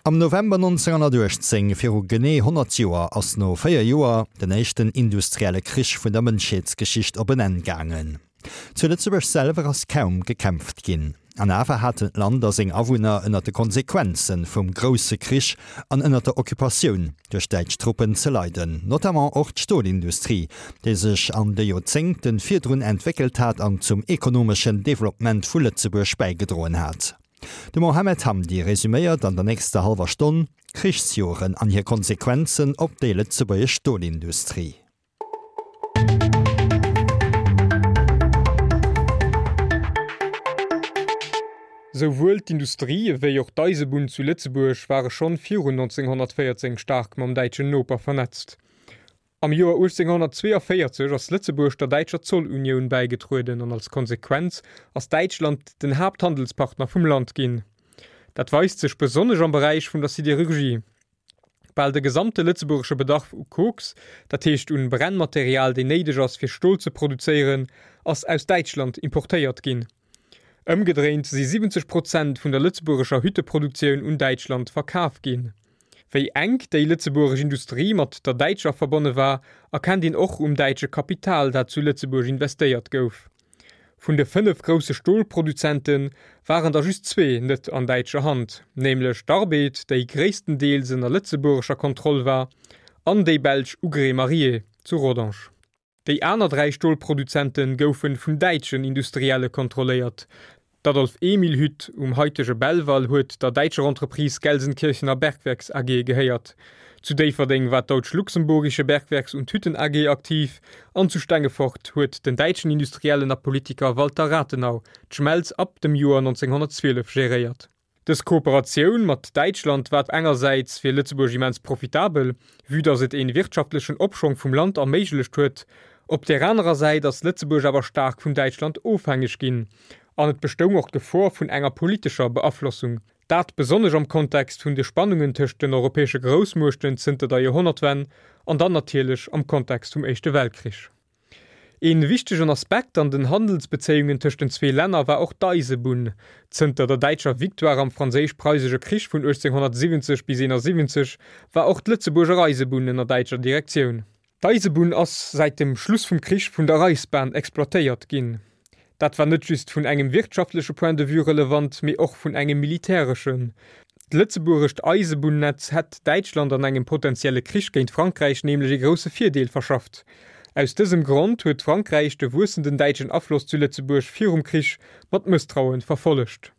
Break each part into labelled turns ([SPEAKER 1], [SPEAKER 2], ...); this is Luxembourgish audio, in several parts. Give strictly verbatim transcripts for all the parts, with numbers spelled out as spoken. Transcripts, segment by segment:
[SPEAKER 1] Am November neunzehnhunnertuechtzéng, viru genee honnert Joer, ass no véier Joer den éischten industrielle Krich vun der Mënschheetsgeschicht op en Enn gaangen. Zu Lëtzebuerg selwer ass kaum gekämpft ginn. An awer haten d'Land a seng Awunner ënner de Konsequenze vum grousse Krich an ënner der Occupatioun duerch däitsch Truppen ze leiden, notamment och d'Stolindustrie, déi sech an de Joerzéngte virdrun entwéckelt hat an zum ekonomeschen Developpement vu Lëtzebuerg bäigedroen hat. De Mohamed Hamdi resuméiert an der nächster hallwer Stonn d'Krichsjoren an hir Konsequenzen op déi lëtzebuergesch Stolindustrie.
[SPEAKER 2] Souwuel d'Industrie ewéi och d'Eisebunn zu Lëtzebuerg ware schonn virun neunzehnhunnertvéierzéng staark mam däitschen Noper vernetzt. Am Joer uechtzénghunnertzweeënvéierzeg ass Lëtzebuerg der däitscher Zollunioun bäigetrueden an als Konsequenz ass Däitschland den Haapthandelspartner vum Land ginn. Dat weist sech besonnesch am Beräich vun der Siderurgie. Bal de gesamte lëtzebuergesche Bedarf u Koks, dat heescht un Brennmaterial deen néideg ass fir Stol ze produzéieren, ass aus Däitschland importéiert ginn. Ëmgedréint si siwwenzeg Prozent vun der lëtzebuergescher Hütteproduktioun un Däitschland verkaf ginn. Wéi enk déi lëtzebuergesch Industrie mat der däitscher verbonne war, erkennt een och um däitsche Kapital, dat zu Lëtzebuerg investéiert gouf. Vun de fënnef grousse Stolproduzente waren der just zwee net an däitscher Hand, nämlech d'Arbed, déi gréisstendeels ënner lëtzebuergescher Kontroll war, an déi belsch Ougrée Mariée zu Rodange. Déi aner dräi Stolproduzente goufe vun däitschen Industrielle kontrolléiert. D'Adolf-Emil-Hütt um haitege Belval huet der däitscher Entreprise Gelsenkirchener Bergwerks A G gehéiert. Zu Déifferdeng war d'Deutsch-Luxemburgische Bergwerks und Hütten A G aktiv an zu Stengefort huet den däitschen Industriellen a Politiker Walter Rathenau d'Schmelz ab dem Joer neunzehnhunnertzwielef geréiert. Dës Kooperatioun mat Däitschland war engersäits fir Lëtzebuerg immens profitabel, vue datt et een wirtschaftlechen Opschwong vum Land erméiglecht huet. Op där anerer Säit ass Lëtzebuerg awer staark vun Däitschland ofhängeg ginn an et bestoung och d'Gefor vun enger politescher Beaflossung. Dat besonnesch am Kontext vun de Spannungen tëscht den europäesche Groussmuechten zënter der Joerhonnertwenn an dann natierlech am Kontext vum Éischte Weltkrich. Ee wichtegen Aspekt an den Handelsbezéiungen tëscht den zwee Länner war och d'Eisebunn. Zënter der däitscher Victoire am Franséisch-Preisesche Krich vun uechtzénghunnertsiwwenzeg bis eenasiwwenzeg war och d'Lëtzebuerger Eisebunn ënner däitscher Direktioun. D'Eisebunn ass säit dem Schluss vum Krich vun der Reichsbahn exploitéiert ginn. Dat war net just vun engem wirtschaftleche Point de vue relevant, mee och vun engem militäreschen. D'lëtzebuergescht Eisebunnetz hätt Däitschland an engem potenzielle Krich géint Frankräich nämlech ee grousse Virdeel verschafft. Aus dësem Grond huet Frankräich de wuessenden däitschen Afloss zu Lëtzebuerg virum Krich mat Mësstraue verfollegt.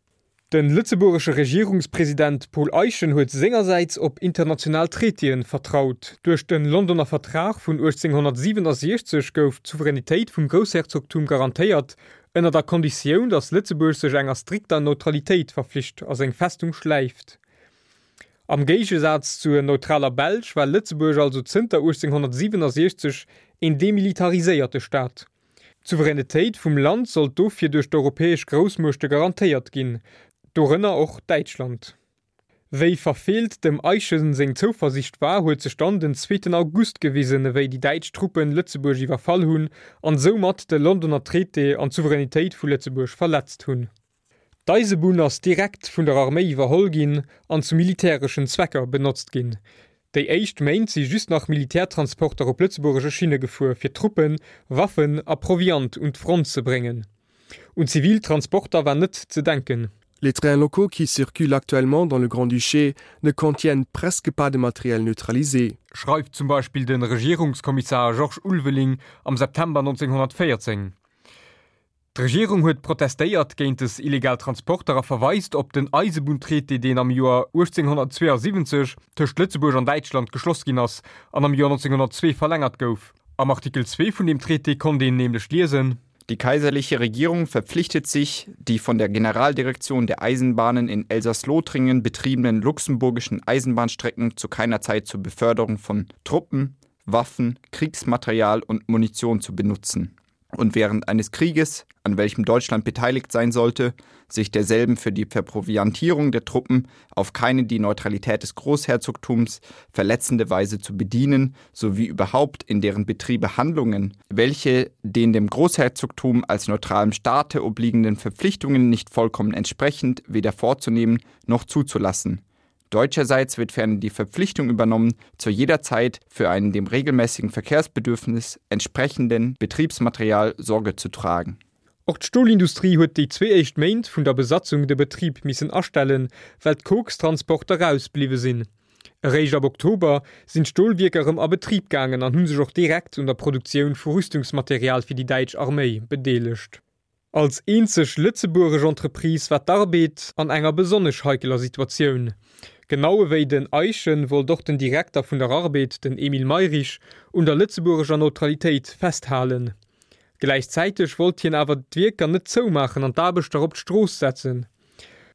[SPEAKER 2] De lëtzebuergesche Regierungspresident Paul Eyschen huet sengersäits op international Traitéen vertraut. Duerch de Londoner Vertrag vun uechtzénghunnertsiwenasiechzeg gouf d'Souveränitéit vum Groussherzogtum garantéiert, ënner der Konditioun, datt Lëtzebuerg sech enger strikter Neutralitéit verflicht a seng Festung schläift. Am Géigesaz zur neutraler Belsch war Lëtzebuerg also zënter uechtzénghunnertsiwenasiechzeg een demilitariséierte Staat. D'Souveränitéit vum Land sollt dofir duerch d'europäesch Groussmuechte garantéiert ginn, dorënner och Däitschland. Wéi verfeelt dem Eyschen seng Zouversiicht war, huet sech dann den zweeten August gewisen, ewéi déi däitsch Truppen Lëtzebuerg iwwerfall hunn an soumat de Londoner Traité an d'Souveränitéit vu Lëtzebuerg verletzt hunn. D'Eisebunn ass direkt vun der Arméi iwwerholl ginn an zu militäreschen Zwecker benotzt ginn. Déi éischt Méint si just nach Militärtransporter op lëtzebuergesche Schinne gefuer, fir Truppen, Waffen a Proviant un d'Front ze bréngen. Un zivil Transporter war net ze denken.
[SPEAKER 3] Les trains locaux qui circulent actuellement dans le Grand-Duché ne contiennent presque pas de matériel neutralisé.
[SPEAKER 2] Schreift zum Beispill de Regierungskommissar Georges Ulveling am September neunzehnhunnertvéierzéng. D'Regierung huet protestéiert géint des illegal Transporter a verweist op den Eisebunntraité, deen am Joer uechtzénghunnertzweeasiwwenzeg tëscht Lëtzebuerg an Däitschland geschloss ginn ass an am Joer neunzehnhunnertzwee verlängert gouf. Am Artikel zwee vun deem Traité konnt een nämlech liesen.
[SPEAKER 4] Die kaiserliche Regierung verpflichtet sich, die von der Generaldirektion der Eisenbahnen in Elsass-Lothringen betriebenen luxemburgischen Eisenbahnstrecken zu keiner Zeit zur Beförderung von Truppen, Waffen, Kriegsmaterial und Munition zu benutzen und während eines Krieges, an welchem Deutschland beteiligt sein sollte, sich derselben für die Verproviantierung der Truppen auf keine die Neutralität des Großherzogtums verletzende Weise zu bedienen, sowie überhaupt in deren Betriebe Handlungen, welche den dem Großherzogtum als neutralem Staate obliegenden Verpflichtungen nicht vollkommen entsprechend weder vorzunehmen noch zuzulassen. Deutscherseits wird ferner die Verpflichtung übernommen, zu jeder Zeit für einen dem regelmäßigen Verkehrsbedürfnis entsprechenden Betriebsmaterial Sorge zu tragen.
[SPEAKER 2] Och d'Stolindustrie huet déi zwee éischt Méint vun der Besatzung de Betrib missen astellen, well d'Kokstransporter ausbliwwe sinn. Eréischt ab Oktober sinn d'Stolwierker erëm a Betrib gaangen an hu sech och direkt un der Produktioun vu Rüstungsmaterial fir déi däitsch Arméi bedeelegt. Als eenzeg lëtzebuergesch Entreprise war d'Arbed an enger besonnesch heikeler Situatioun. Genau ewéi den Eyschen wollt och den Direkter vun der Arbed, den Emil Mayrisch, un der lëtzebuergescher Neutralitéit festhalen. Gläichzäiteg wollt hien awer d'Wierker net zoumaachen an d'Aarbechter op d'Strooss setzen.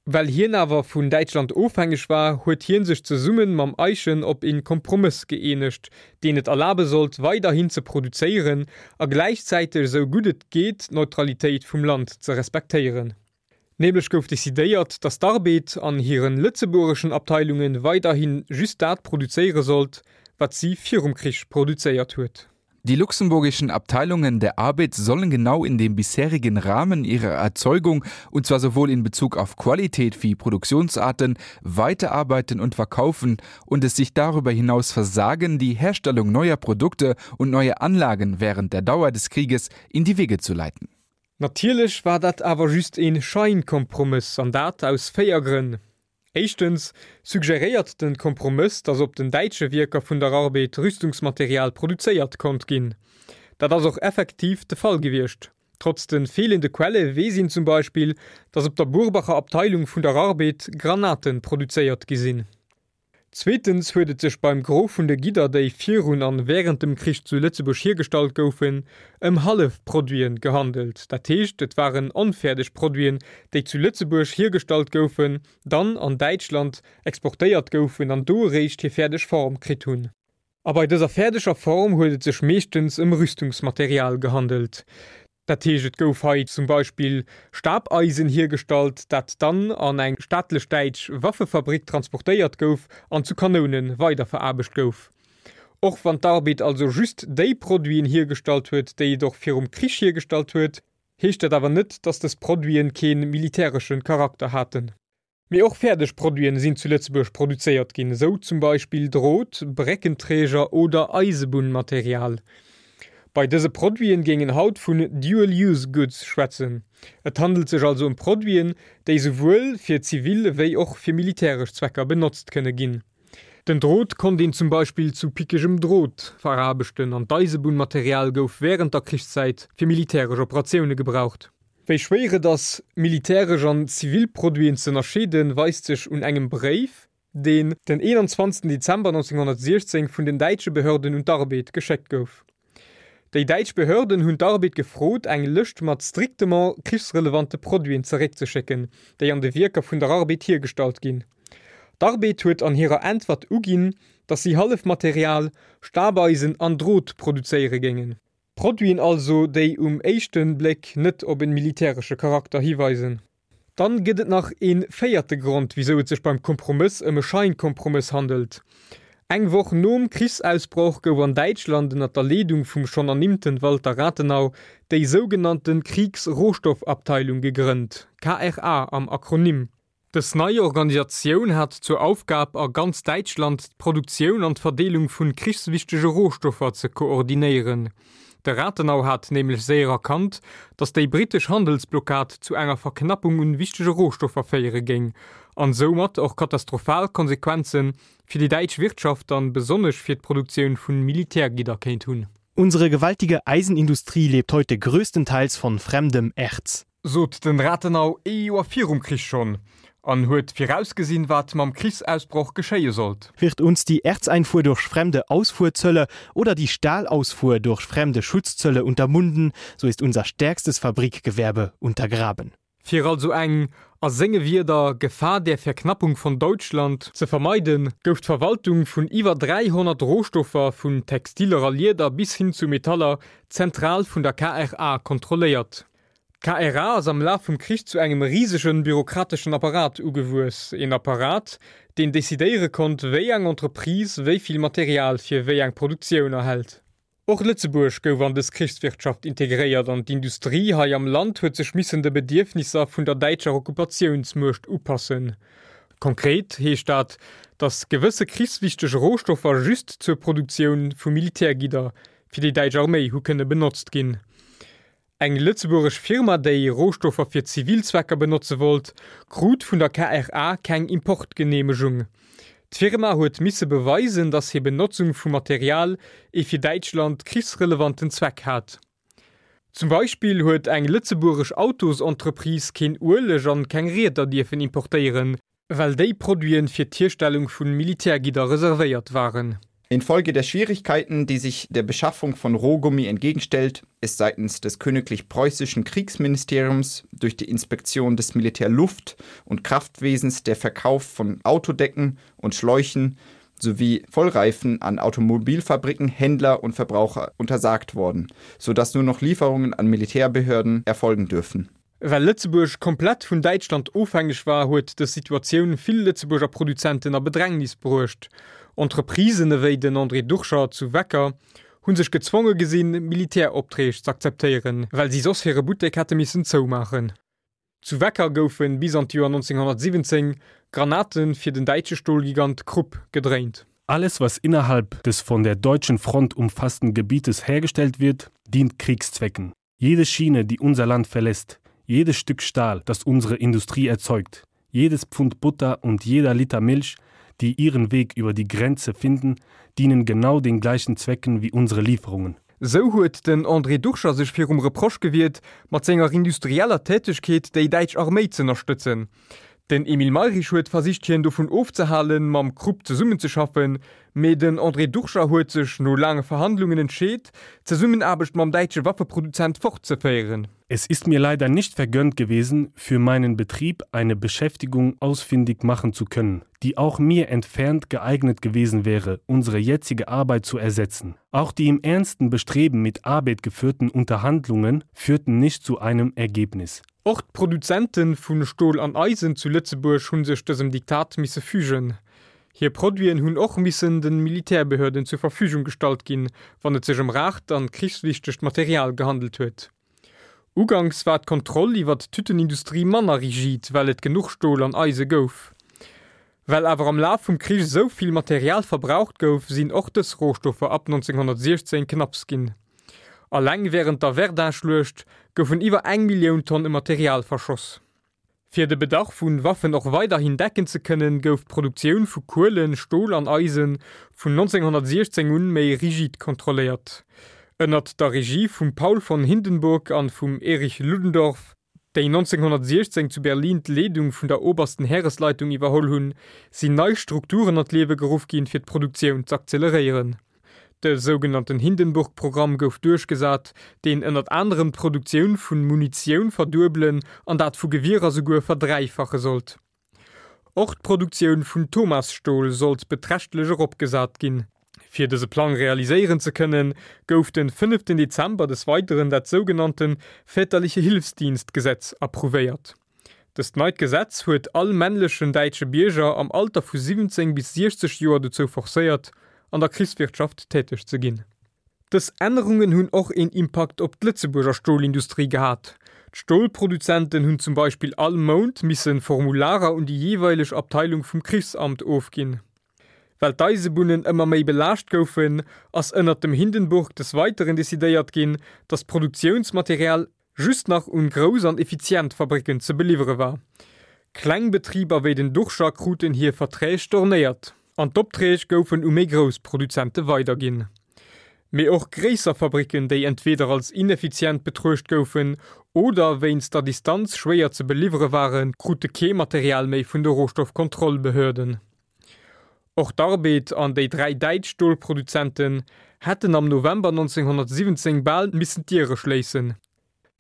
[SPEAKER 2] Well hien awer vun Däitschland ofhängeg war, huet hien sech zesumme mam Eyschen op een Kompromëss gëeenegt, deen et erlabe sollt, weiderhin ze produzéieren a gläichzäiteg esou gutt et geet d'Neutralitéit vum Land ze respektéieren. Nämlech gouf decidéiert, datt d'Arbed an hiren lëtzebuergeschen Abteilunge weiderhi just dat produzéiere sollt, wat si virum Krich produzéiert huet.
[SPEAKER 5] Die luxemburgischen Abteilungen der Arbed sollen genau in dem bisherigen Rahmen ihrer Erzeugung, und zwar sowohl in Bezug auf Qualität wie Produktionsarten, weiterarbeiten und verkaufen und es sich darüber hinaus versagen, die Herstellung neuer Produkte und neue Anlagen während der Dauer des Krieges in die Wege zu leiten.
[SPEAKER 2] Natierlech war dat awer just een Scheinkompromëss, an dat aus véier Grënn. Éischtens suggeréiert den Kompromëss, datt op den däitsche Wierker vun der Arbed Rüstungsmaterial produzéiert konnt ginn. Dat ass och effektiv de Fall gewiescht. Trotz de feelende Quelle weess een zum Beispill, datt op der Burbacher Abteilung vun der Arbed Granaten produzéiert gi sinn. Zweetens huet et sech beim Gros vun de Gidder, déi virun an wärend dem Krich zu Lëtzebuerg hiergestallt goufen, ëm Hallefproduiten gehandelt. Dat heescht, et waren onfäerdeg Produiten, déi zu Lëtzebuerg hiergestallt goufen, dann an Däitschland exportéiert goufen an do eréischt hir fäerdeg Form kritt hunn. A bei dëser fäerdeger Form huet et sech meeschtens ëm Rüstungsmaterial gehandelt. Dat heescht, et gouf hei zum Beispill Stabeisen hiergestallt, dat dann an eng staatlech däitsch Waffefabrik transportéiert gouf an zu Kanoune weiderveraarbecht gouf. Och wann d'Arbed also just déi Produiten hiergestallt huet, déi et och virum Krich hiergestallt huet, heescht dat awer net, datt dës Produiten kee militäresche Charakter haten. Mee och fäerdeg Produiten sinn zu Lëtzebuerg produzéiert ginn, esou zum Beispill Drot, Bréckenträger oder Eisebunnmaterial. Bei dëse Produiten géing een haut vun Dual Use Goods schwätzen. Et handelt sech also ëm Produiten, déi souwuel fir zivil wéi och fir militäresch Zwecker benotzt kënne ginn. Den Drot konnt een zum Beispill zu pickegem Drot veraarbechten an d'Eisebunnmaterial gouf wärend der Krichszäit fir militäresch Operatioune gebraucht. Wéi schwéier et ass, militäresch an zivil Produiten ze ënnerscheeden, weist sech un engem Bréif, deen den eenanzwanzegsten Dezember nonzénghonnertsiechzéng vun den däitsche Behörden un d'Arbed geschéckt gouf. Déi däitsch Behörden hunn d'Arbed gefrot, eng Lëscht mat strictement krichsrelevante Produiten zeréckzeschécken, déi an de Wierker vun der Arbed hiergestallt ginn. D'Arbed huet an hirer Äntwert uginn, datt si Hallefmaterial, Stabeisen an Drot produzéiere géingen. Produiten also, déi um éischte Bléck net op e militäresche Charakter hiweisen. Dann gëtt et nach e véierte Grond, wisou et sech beim Kompromëss ëm e Scheinkompromëss handelt. Eng Woch nom Krichsausbroch gouf an Däitschland ënner der Leedung vum schonn ernimmte Walter Rathenau déi sougenannte Kriegsrohstoffabteilung gegrënnt, K R A am Akronym. Dës nei Organisatioun hat zur Aufgab, a ganz Däitschland d'Produktioun an d'Verdeelung vu krichswichtege Rohstoffer ze koordinéieren. De Rathenau hat nämlech séier erkannt, datt déi brittesch Handelsblockad zu enger Verknappung un wichtege Rohstoffer féiere géing an soumat och katastrophal Konsequenze fir déi däitsch Wirtschaft an besonnesch fir d'Produktioun vu Militärgidder kéint hunn.
[SPEAKER 6] Unsere gewaltige Eisenindustrie lebt heute größtenteils von fremdem Erz.
[SPEAKER 2] Sot den Rathenau ee Joer virum Krich schonn an huet virausgesinn, wat mam Krichsausbroch geschéie sollt.
[SPEAKER 6] Wird uns die Erzeinfuhr durch fremde Ausfuhrzölle oder die Stahlausfuhr durch fremde Schutzzölle unterbunden, so ist unser stärkstes Fabrikgewerbe untergraben.
[SPEAKER 2] Fir also eng, a senge Wierder, Gefahr der Verknappung von Deutschland ze vermeiden, gouf d'Verwaltung vun iwwer dräihonnert Rohstoffer, vun Textiler a Lieder bis hin zu Metaller, zentral vun der K R A kontrolléiert. D'K R A ass am Laf vum Krich zu engem risegen bürokrateschen Apparat ugewuess, een Apparat, deen decidéiere konnt, wéi eng Entreprise wéi vill Material fir wéi eng Produktioun erhält. Och Lëtzebuerg gouf an dës Krichswirtschaft integréiert an d'Industrie hei am Land huet sech missen de Bedierfnisser vun der däitscher Okkupatiounsmuecht upassen. Konkret heescht dat, dass gewësse krichswichteg Rohstoffer just zur Produktioun vu Militärgidder fir déi däitsch Arméi hu kënne benotzt ginn. Eng lëtzebuergesch Firma, déi Rohstoffer fir zivil Zwecker benotze wollt, krut vun der KRA keng Importgeneemegung. D'Firma huet misse beweisen, dass hir Benotzung vum Material ee fir Däitschland krichsrelevanten Zweck hat. Zum Beispill huet eng lëtzebuergesch Autosentreprise keen Ueleg an keng Rieder dierfen importéieren, well déi Produiten fir d'Hierstellung vu Militärgidder reservéiert waren.
[SPEAKER 4] Infolge der Schwierigkeiten, die sich der Beschaffung von Rohgummi entgegenstellt, ist seitens des königlich preußischen Kriegsministeriums durch die Inspektion des Militärluft- und Kraftwesens der Verkauf von Autodecken und Schläuchen sowie Vollreifen an Automobilfabriken, Händler und Verbraucher untersagt worden, so dass nur noch Lieferungen an Militärbehörden erfolgen dürfen.
[SPEAKER 2] Well Lëtzebuerg komplett vun Däitschland ofhängeg war, huet dës Situatioun vill Lëtzebuerger Produzenten a Bedrängnis bruecht. Entreprisen ewéi den André Duchscher zu Wecker hu sech gezwonge gesinn, Militäropträg z'akzeptéieren, well si soss hire Buttek hätte missen zoumaachen. Zu Wecker goufe bis an d'Joer neunzehnhundertsiwwenzéng Granate fir den däitsche Stolgigant Krupp gedréint.
[SPEAKER 7] Alles, was innerhalb des von der deutschen Front umfassten Gebietes hergestellt wird, dient Kriegszwecken. Jede Schiene, die unser Land verlässt, jedes Stück Stahl, das unsere Industrie erzeugt, jedes Pfund Butter und jeder Liter Milch, die ihren Weg über die Grenze finden, dienen genau den gleichen Zwecken wie unsere Lieferungen.
[SPEAKER 2] Sou huet den André Duchscher sech virum Reproche gewiert, mat senger industrieller Tätegkeet déi däitsch Arméi z'ënnerstëtzen. Den Emil Mayrisch huet versicht hien dovun ofzehalen, mam Krupp zesummenzeschaffen, mee den André Duchscher huet sech no laange Verhandlungen entscheet, d'Zesummenaarbecht mam däitsche Waffeproduzent fortzeféieren.
[SPEAKER 7] Es ist mir leider nicht vergönnt gewesen, für meinen Betrieb eine Beschäftigung ausfindig machen zu können, die auch mir entfernt geeignet gewesen wäre, unsere jetzige Arbeit zu ersetzen. Auch die im ernsten Bestreben mit Arbeit geführten Unterhandlungen führten nicht zu einem Ergebnis.
[SPEAKER 2] Och d'Produzente vu Stol an Eisen zu Lëtzebuerg hu sech dësem Diktat misse fügen. Hir Produiten hunn och missen de Militärbehörden zur Verfügung gestallt ginn, wann et sech ëm raart an krichswichtegt Material gehandelt huet. Uganks war d'Kontroll iwwer d'Tütenindustrie manner rigid, well et genuch Stol an Eise gouf. Well awer am Laf vum Krich esou vill Material verbraucht gouf, sinn och dës Rohstoffer ab neunzehnhundertsiechzéng knapps ginn. Alleng wärend der Verdun-Schluecht goufen iwwer eng Millioun Tonne Material verschoss. Fir de Bedarf vu Waffen och weiderhin decken ze kënnen, gouf d'Produktioun vu Kuelen, Stol an Eisen vun neunzehnhundertsiechzéng un méi rigid kontrolléiert. Ënnert der Regie vum Paul von Hindenburg an vum Erich Ludendorff, déi neunzehnhundertsiechzéng zu Berlin d'Leedung vun der Obersten Heeresleitung iwwerholl hunn, sinn nei Strukturen an d'Liewe geruff ginn, fir d'Produktioun z'akzeleréieren. De sougenannten Hindenburg-Programm gouf duerchgesat, deen ënnert anerem d'Produktioun vun Munitioun verduebelen an dat vu Gewierer souguer verdräifache sollt. Och d'Produktioun vun Thomasstol sollt beträchtlech eropgesat ginn. Fir dëse Plang realiséieren ze kënnen, gouf den fënneften Dezember des Weideren dat sougenannten Väterliche Hilfsdienstgesetz approuvéiert. Dëst neit Gesetz huet all männlechen däitsche Bierger am Alter vu siwwenzéng bis siechzeg Joer dozou forcéiert, an der Krichswirtschaft täteg ze ginn. Dës Ännerungen hunn och een Impakt op d'Lëtzebuerger Stolindustrie gehat. D'Stolproduzenten hunn zum Beispill all Mount misse Formularer un déi jeeweileg Abteilung vum Krichsamt ofginn. Well d'Eisebunnen ëmmer méi belaascht goufen, ass ënnert dem Hindenburg des Weiteren decidéiert ginn, datt d'Produktiounsmaterial just nach un grouss an effizient Fabricken ze beliwwere war. Kleng Betriber wéi den Duchscher kruten hir Verträg stornéiert an d'Opträg goufen u méi grouss Produzente weiderginn. Mee och gréisser Fabricken, déi entweder als ineffizient betruecht goufen oder wéinst der Distanz schwéier ze beliwwere waren, krute kee Material méi vun de Rohstoffkontrollbehörden. Och d'Arbed an déi dräi däitsch Stolproduzenten hätten am November neunzehnhundertsiwwenzéng bal missen d'Diere schléissen.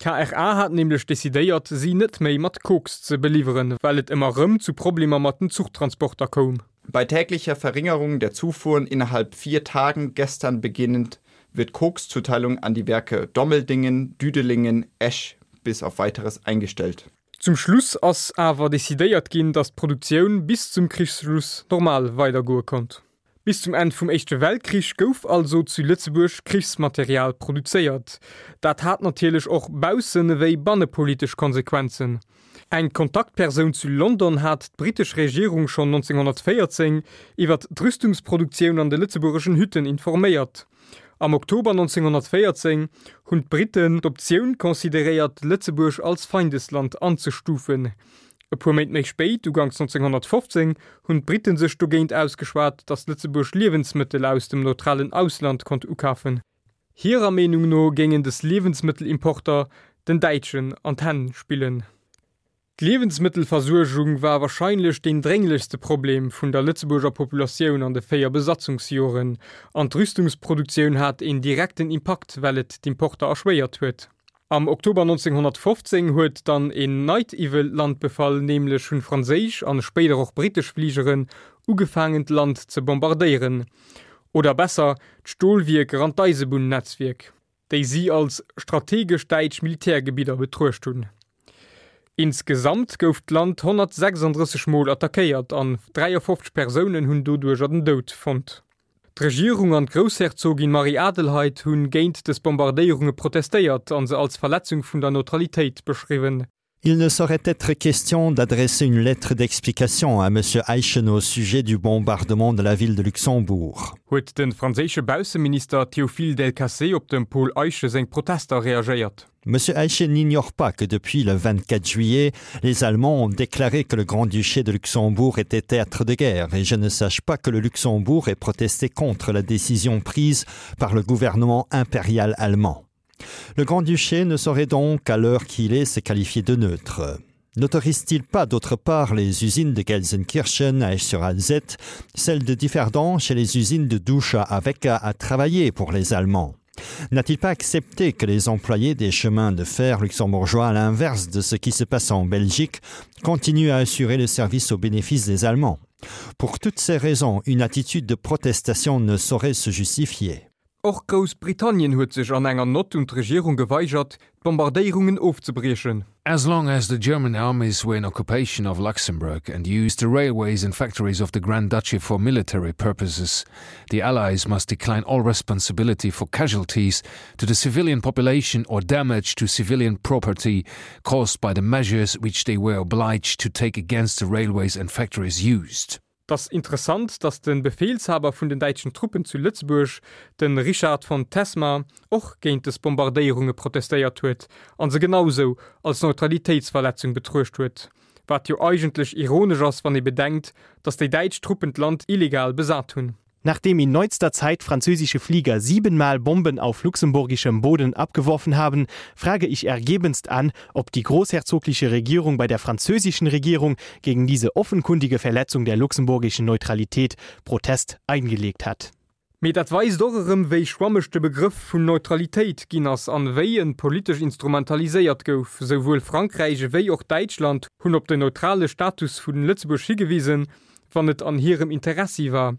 [SPEAKER 2] D'KRA hat nämlech decidéiert, si net méi mat Koks ze beliwweren, well et ëmmer rëm zu Problemer mat den Zuchtransporter koum.
[SPEAKER 4] Bei täglicher Verringerung der Zufuhren innerhalb vier Tagen gestern beginnend wird Kokszuteilung an die Werke Dommeldingen, Düdelingen, Esch bis auf weiteres eingestellt.
[SPEAKER 2] Zum Schluss ass awer decidéiert ginn, datt d'Produktioun bis zum Krichsschluss normal weidergoe konnt. Bis zum Enn vum Éischte Weltkrich gouf also zu Lëtzebuerg Krichsmaterial produzéiert. Dat hat natierlech och baussen ewéi bannepolitesch Konsequenzen. Eng Kontaktpersoun zu London hat d'brittesch Regierung schonn neunzehnhunnertvéierzéng iwwer d'Rüstungsproduktioun an de lëtzebuergeschen Hütten informéiert. Am Oktober neunzehnhunnertvéierzéng hunn d'Britten d'Optioun consideréiert, Lëtzebuerg als Feindesland anzestufen. E puer Méint méi spéit, uganks neunzehnhunnertfofzéng, hunn d'Britten sech dogéint ausgeschwat, datt Lëtzebuerg Liewensmëttel aus dem neutralen Ausland konnt ukafen. Hirer Meenung no géingen des Liewensmëttelimporter den Däitschen an d'Hänn spillen. D'Liewensmëttelversuergung war warscheinlech deen drénglechste Problem vun der Lëtzebuerger Populatioun an de véier Besatzungsjoren, an d'Rüstungsproduktioun hat een direkten Impakt, well et d'Importer erschwéiert huet. Am Oktober neunzehnhunnertfofzéng huet dann een neit Iwwel d'Land befall, nämlech hunn franséisch an spéider och brittesch Fligeren ugefaangen d'Land ze bombardéieren, oder besser d'Stolwierker an d'Eisebunn-Netzwierk, déi si als strategesch däitsch Militärgebidder betruecht hunn. Insgesamt gouf d'Land honnertsechsanddrësseg Mol attackéiert an dräiafofzeg Persounen hunn doduercher den Doud fonnt. D'Regierung an d'Groussherzogin Marie-Adelheid hunn géint dës Bombardéierunge protestéiert an se als Verletzung vun der Neutralitéit beschriwwen.
[SPEAKER 1] Il ne saurait être question d'adresser une lettre d'explication à Monsieur Eyschen au sujet du bombardement de la ville de Luxembourg.
[SPEAKER 2] Huet de franséische Bausseminister Théophile Delcassé op dem Paul Eyschen seng Protester reagéiert.
[SPEAKER 1] Monsieur Eyschen n'ignore pas que depuis le vingt-quatre juillet, les Allemands ont déclaré que le Grand-Duché de Luxembourg était théâtre de guerre et je ne sache pas que le Luxembourg ait protesté contre la décision prise par le gouvernement impérial allemand. Le Grand-Duché ne saurait donc, à l'heure qu'il est, se qualifier de neutre. N'autorise-t-il pas d'autre part les usines de Gelsenkirchen à Esch-sur-Alzette, celles de Differdange et les usines de Douche à Avecca à travailler pour les Allemands? N'a-t-il pas accepté que les employés des chemins de fer luxembourgeois, à l'inverse de ce qui se passe en Belgique, continuent à assurer le service au bénéfice des Allemands? Pour toutes ces raisons, une attitude de protestation ne saurait se justifier.
[SPEAKER 2] Och Groussbritannien huet sech an enger Nott un d'Regierung geweigert, d'Bombardéierungen ofzebriechen.
[SPEAKER 8] As long as the German armies were in occupation of Luxembourg and used the railways and factories of the Grand Duchy for military purposes, the Allies must decline all responsibility for casualties to the civilian population or damage to civilian property caused by the measures which they were obliged to take against the railways and factories used.
[SPEAKER 2] Et ass interessant, datt de Befehlshaber vun den däitschen Truppen zu Lëtzebuerg, de Richard von Tesmar, och géint des Bombardéierunge protestéiert huet an se genausou als Neutralitéitsverletzung betruecht huet. Wat jo eigentlech ironesch ass, wann ee bedenkt, datt déi däitsch Truppen d'Land illegal besat hunn.
[SPEAKER 6] Nachdem in neuester Zeit französische Flieger siebenmal Bomben auf luxemburgischem Boden abgeworfen haben, frage ich ergebenst an, ob die großherzogliche Regierung bei der französischen Regierung gegen diese offenkundige Verletzung der luxemburgischen Neutralität Protest eingelegt hat.
[SPEAKER 2] Mee dat weist och erëm, wéi schwammeg de Begrëff vun Neutralitéit ginn ass an wéi en politesch instrumentaliséiert gouf. Souwuel Frankräich ewéi och Däitschland hunn op den neutrale Status vun Lëtzebuerg higewisen, wann et an hirem Interessi war.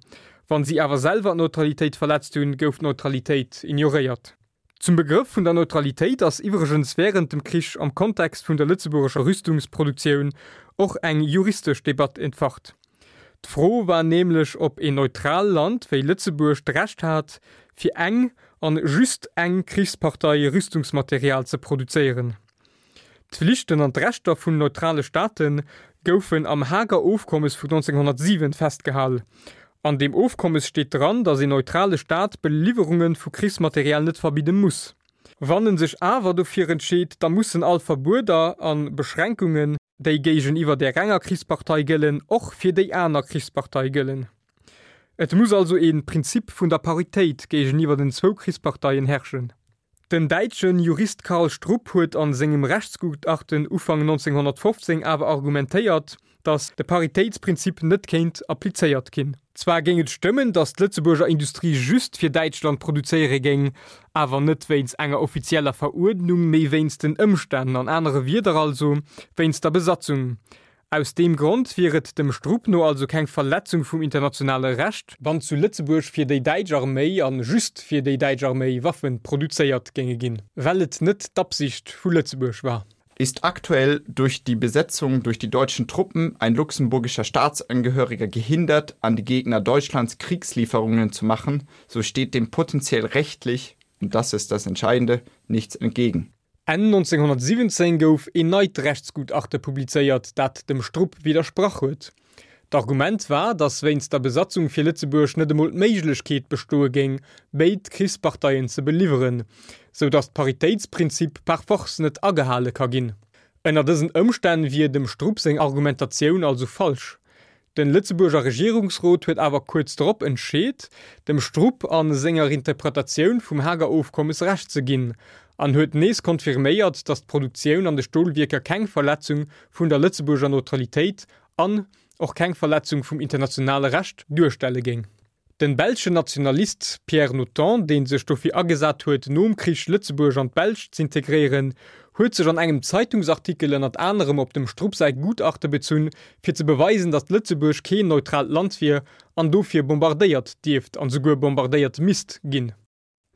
[SPEAKER 2] Wann si awer selwer d'Neutralitéit verletzt hunn, gouf d'Neutralitéit ignoréiert. Zum Begrëff vun der Neutralitéit ass iwwregens wärend dem Krich am Kontext vun der lëtzebuergescher Rüstungsproduktioun och eng juristesch Debatt entfacht. D'Fro war nämlech, ob een neutraalt Land wéi Lëtzebuerg d'Recht hat, fir eng an just eng Krichspartei Rüstungsmaterial ze produzéieren. D'Flichten an d'Rechter vun neutrale Staate goufen am Haager Ofkommes vun neunzehnhunnertsiwen festgehal. An deem Ofkommes steet dran, datt een neutrale Staat Beliwwerunge vu Krichsmaterial net verbidde muss. Wann en sech awer dofir entscheet, da mussen all Verbueder a Beschränkungen, déi géigeniwwer där enger Krichspartei gëllen, och fir déi aner Krichspartei gëllen. Et muss also ee Prinzip vun der Paritéit géigeniwwer den zwou Krichsparteien herrschen. Den däitsche Jurist Karl Strupp huet a sengem Rechtsgutachten Ufank neunzehnhunnertfofzéng awer argumentéiert, datt de Paritéitsprinzip net kéint applizéiert ginn. Zwar géing et stëmmen, datt d'Lëtzebuerger Industrie just fir Däitschland produzéiere géing, awer net wéinst enger offizieller Veruerdnung, mee wéinst den Ëmstänn, an anere Wierder also, wéinst der Besatzung. Aus deem Grond wier et dem Strupp no also keng Verletzung vum internationale Recht, wann zu Lëtzebuerg fir déi däitsch Arméi an just fir déi däitsch Arméi Waffe produzéiert géinge ginn, well et net d'Absicht vu Lëtzebuerg war.
[SPEAKER 4] Ist aktuell durch die Besetzung durch die deutschen Truppen ein luxemburgischer Staatsangehöriger gehindert, an die Gegner Deutschlands Kriegslieferungen zu machen, so steht dem potenziell rechtlich, und das ist das Entscheidende, nichts entgegen.
[SPEAKER 2] Enn neunzehnhundertsiwwenzéng gouf een neit Rechtsgutachte publizéiert, dat dem Strupp widdersprach huet. D'Argument war, datt wéinst der Besatzung fir Lëtzebuerg net emol d'Méiglechkeet bestoe géing, béid Krichsparteien ze beliwweren, sou datt d'Paritéitsprinzip par force net agehale ka ginn. Ënner dësen Ëmstänn wier dem Strupp seng Argumentatioun also falsch. Den Lëtzebuerger Regierungsrot huet awer kuerz drop entscheet, dem Strupp a senger Interpretatioun vum Haager Ofkommes Recht ze ginn, an huet nees confirméiert, datt d'Produktioun an de Stolwierker keng Verletzung vun der Lëtzebuerger Neutralitéit an och keng Verletzung vum internationale Recht duerstelle géing. Den belschen Nationalist Pierre Notan, dee sech dofir agesat huet, nom Krich Lëtzebuerg an d'Belsch z'integréieren, huet sech an engem Zeitungsartikel ënnert anerem op dem Strupp säi Gutachte bezunn, fir ze beweisen, datt Lëtzebuerg keen neutraalt Land wier an dofir bombardéiert dierft an souguer bombardéiert misst ginn.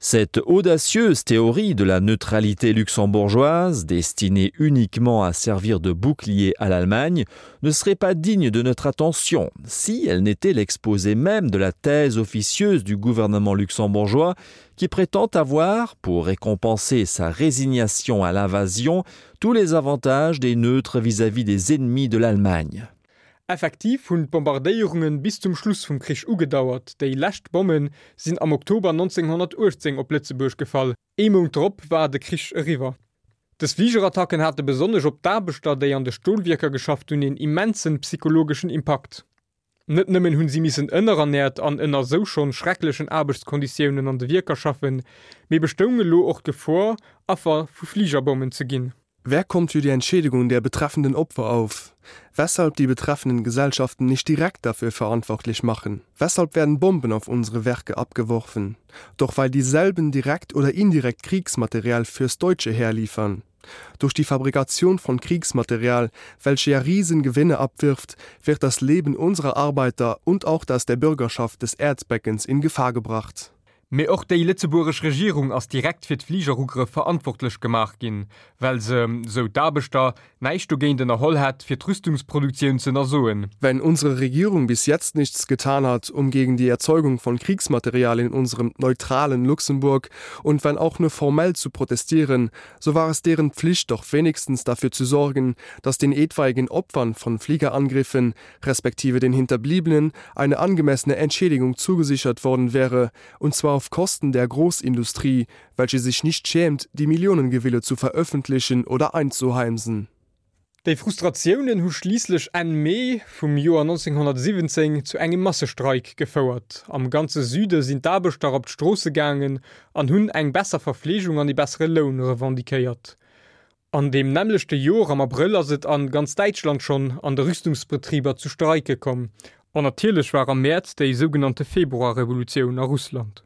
[SPEAKER 9] Cette audacieuse théorie de la neutralité luxembourgeoise, destinée uniquement à servir de bouclier à l'Allemagne, ne serait pas digne de notre attention si elle n'était l'exposé même de la thèse officieuse du gouvernement luxembourgeois qui prétend avoir, pour récompenser sa résignation à l'invasion, tous les avantages des neutres vis-à-vis des ennemis de l'Allemagne.
[SPEAKER 2] Effektiv hunn d'Bombardéierunge bis zum Schluss vum Krich ugedauert, déi lescht Bomme sinn am Oktober neunzehnhundertuechtzéng op Lëtzebuerg gefall, ee Mount drop war de Krich eriwwer. Dës Fligerattacken hate besonnesch op d'Aarbechter, déi an de Stolwierker geschafft hunn, een immensen psychologeschen Impakt. Net nëmmen hunn si missen ënnerernäert an ënner sou schonn schrecklechen Aarbechtskonditiounen an de Wierker schaffen, mee bestoung elo och d'Gefor, Affer vu Fligerbommen ze ginn.
[SPEAKER 3] Wer kommt für die Entschädigung der betreffenden Opfer auf? Weshalb die betreffenden Gesellschaften nicht direkt dafür verantwortlich machen? Weshalb werden Bomben auf unsere Werke abgeworfen? Doch weil dieselben direkt oder indirekt Kriegsmaterial fürs deutsche Heer liefern. Durch die Fabrikation von Kriegsmaterial, welche ja Riesengewinne abwirft, wird das Leben unserer Arbeiter und auch das der Bürgerschaft des Erzbeckens in Gefahr gebracht.
[SPEAKER 2] Mee och déi lëtzebuergesch Regierung ass direkt fir d'Fligerugrëff verantwortlech gemaach ginn, well se, sou d'Aarbechter, näischt dogéint ënnerholl hätt, fir d'Rüstungsproduktioun ze ënnersoen.
[SPEAKER 3] Wenn unsere Regierung bis jetzt nichts getan hat, um gegen die Erzeugung von Kriegsmaterial in unserem neutralen Luxemburg und wenn auch nur formell zu protestieren, so war es deren Pflicht doch wenigstens dafür zu sorgen, dass den etwaigen Opfern von Fliegerangriffen respektive den Hinterbliebenen eine angemessene Entschädigung zugesichert worden wäre, und zwar auf Kosten der Großindustrie, welche sich nicht schämt, die Millionengewinne zu veröffentlichen oder einzuheimsen.
[SPEAKER 2] Déi Frustratiounen hu schliisslech Enn Mee vum Joer neunzehnhundertsiwwenzéng zu engem Massestreik gefouert. Am ganze Süde sinn d'Aarbechter op d'Stroosse gaangen an hunn eng besser Verfleegung an ee bessere Loun revendiquéiert. An deem nämmlechte Joer am Abrëll ass et an ganz Däitschland schonn an de Rüstungsbetriber zu Streike komm. An natierlech war am Mäerz déi sougenannte Februarrevolutioun a Russland.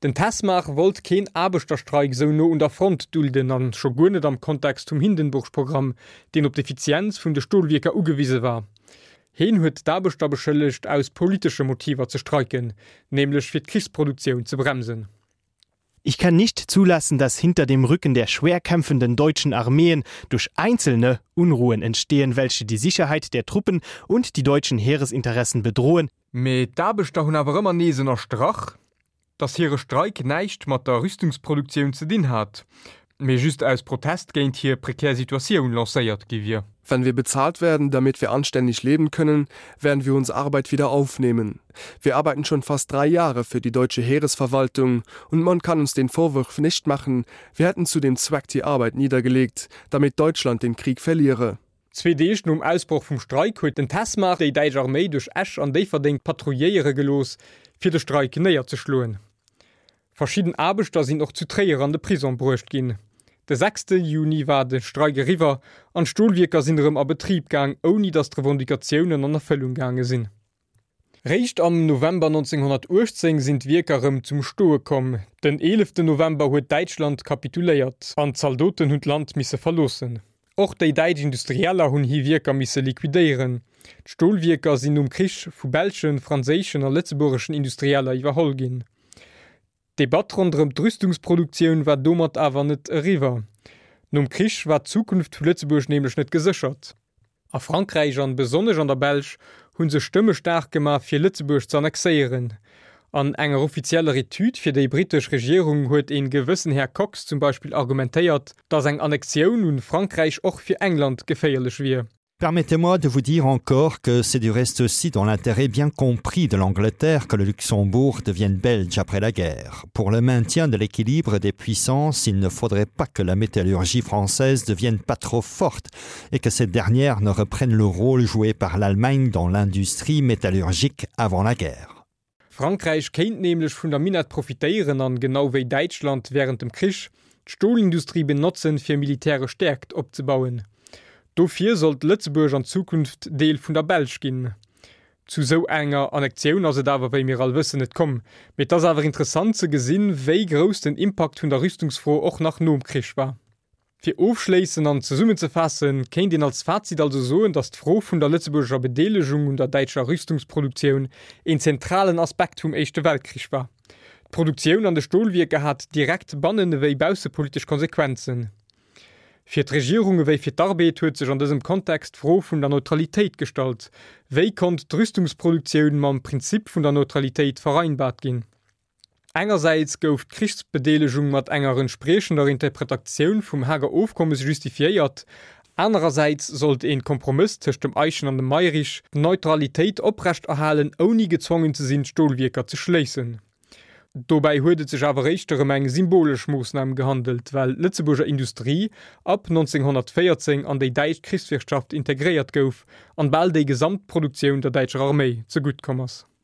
[SPEAKER 2] Den Tesmar wollt keen Aarbechterstreik sou no un der Front dulden an scho guer net am Kontext vum Hindenburg-Programm, deen op d'Effizienz vun de Stolwierker ugewise war. Heen huet d'Aarbechter beschëllegt, aus politesche Motiver ze streiken, nämlech fir d'Krichsproduktioun ze bremsen.
[SPEAKER 6] Ich kann nicht zulassen, dass hinter dem Rücken der schwer kämpfenden deutschen Armeen durch einzelne Unruhen entstehen, welche die Sicherheit der Truppen und die deutschen Heeresinteressen bedrohen.
[SPEAKER 2] Mee d'Aarbechter hunn awer ëmmer nees ënnerstrach, dass hire Streik näischt mat der Rüstungsproduktioun ze dinn hat, mee just aus Protest géint hir prekär Situatioun lancéiert gi wier.
[SPEAKER 3] Wenn wir bezahlt werden, damit wir anständig leben können, werden wir unsere Arbeit wieder aufnehmen. Wir arbeiten schon fast drei Jahre für die deutsche Heeresverwaltung und man kann uns den Vorwurf nicht machen, wir hätten zu dem Zweck die Arbeit niedergelegt, damit Deutschland den Krieg verliere.
[SPEAKER 2] Zwee Deeg nom Ausbroch vum Streik huet den Tesmar déi däitsch Arméi duerch Esch an Déifferdeng patrouilléiere gelooss, fir de Streik néierzeschloen. Verschidden Aarbechter sinn och zu Tréier an de Prisong bruecht ginn. De sechste Juni war de Streik eriwwer an d'Stolwierker sinn erëm a Betrib gaang, ouni datt d'Revendicatiounen an Erfëllung gaange sinn. Réischt am November neunzehnhundertuechtzéng sinn d'Wierker erëm zum Stoe komm. Den eeleften November huet Däitschland kapituléiert an d'Zaldoten hunn d'Land misse verloossen. Och déi däitsch Industrieller hunn hir Wierker misse liquidéieren. D'Stolwierker sinn nom Krich vu belschen, franséischen a lëtzebuergeschen Industrieller iwwerholl ginn. D'Debatt ronderëm d'Rüstungsproduktioun war domat awer net eriwwer. Nom Krich war d'Zukunft vu Lëtzebuerg nämlech net geséchert. A Frankräich an besonnesch an der Belsch hu sech Stëmme staark gemaach fir Lëtzebuerg ze annexéieren. An enger offizieller Etüd fir déi brittesch Regierung huet een gewëssen Här Cox zum Beispill argumentéiert, datt eng Annexioun un Frankräich och fir England geféierlech wier.
[SPEAKER 1] Permettez-moi de vous dire encore que c'est du reste aussi dans l'intérêt bien compris de l'Angleterre que le Luxembourg devienne belge après la guerre. Pour le maintien de l'équilibre des puissances, il ne faudrait pas que la métallurgie française devienne pas trop forte et que cette dernière ne reprenne le rôle joué par l'Allemagne dans l'industrie métallurgique avant la guerre.
[SPEAKER 2] Frankräich kéint nämlech vun der Minett profitéieren an genau wéi Däitschland wärend dem Krich d'Stolindustrie benotzen fir militäresch Stäerkt opzebauen. Dofir sollt Lëtzebuerg an Zukunft Deel vun der Belsch ginn. Zu sou enger Annexioun ass et awer wéi mir all wëssen net komm. Mee et ass awer interessant ze gesinn, wéi grouss den Impakt vun der Rüstungsfro och nach nom Krich war. Fir ofschléissen an zesummenzefaassen, kéint een als Fazit also soen, datt d'Fro vun der lëtzebuergescher Bedeelegung un der däitscher Rüstungsproduktioun een zentralen Aspekt vum Éischte Weltkrich war. D'Produktioun an de Stolwierker hat direkt bannen ewéi baussepolitesch Konsequenzen. Fir d'Regierung ewéi fir d'Arbed huet sech an dësem Kontext d'Fro vun der Neutralitéit gestallt. Wéi konnt d'Rüstungsproduktioun mam Prinzip vun der Neutralitéit vereinbart ginn? Engersäits gouf d'Krichsbedeelegung mat enger entspriechender Interpretatioun vum Haager Ofkommes justifiéiert, anerersäits sollt een Kompromëss tëscht dem Eyschen an dem Mayrisch d'Neutralitéit oprechterhalen, ouni gezwongen ze sinn d'Stolwierker ze schléissen. Dobäi huet et sech awer éischter ëm eng symbolesch Moossnam gehandelt, well d'Lëtzebuerger Industrie ab neunzehnhundertvéierzéng an déi däitsch Krichswirtschaft integréiert gouf an bal déi gesamt Produktioun der däitscher Arméi zegutt komm ass.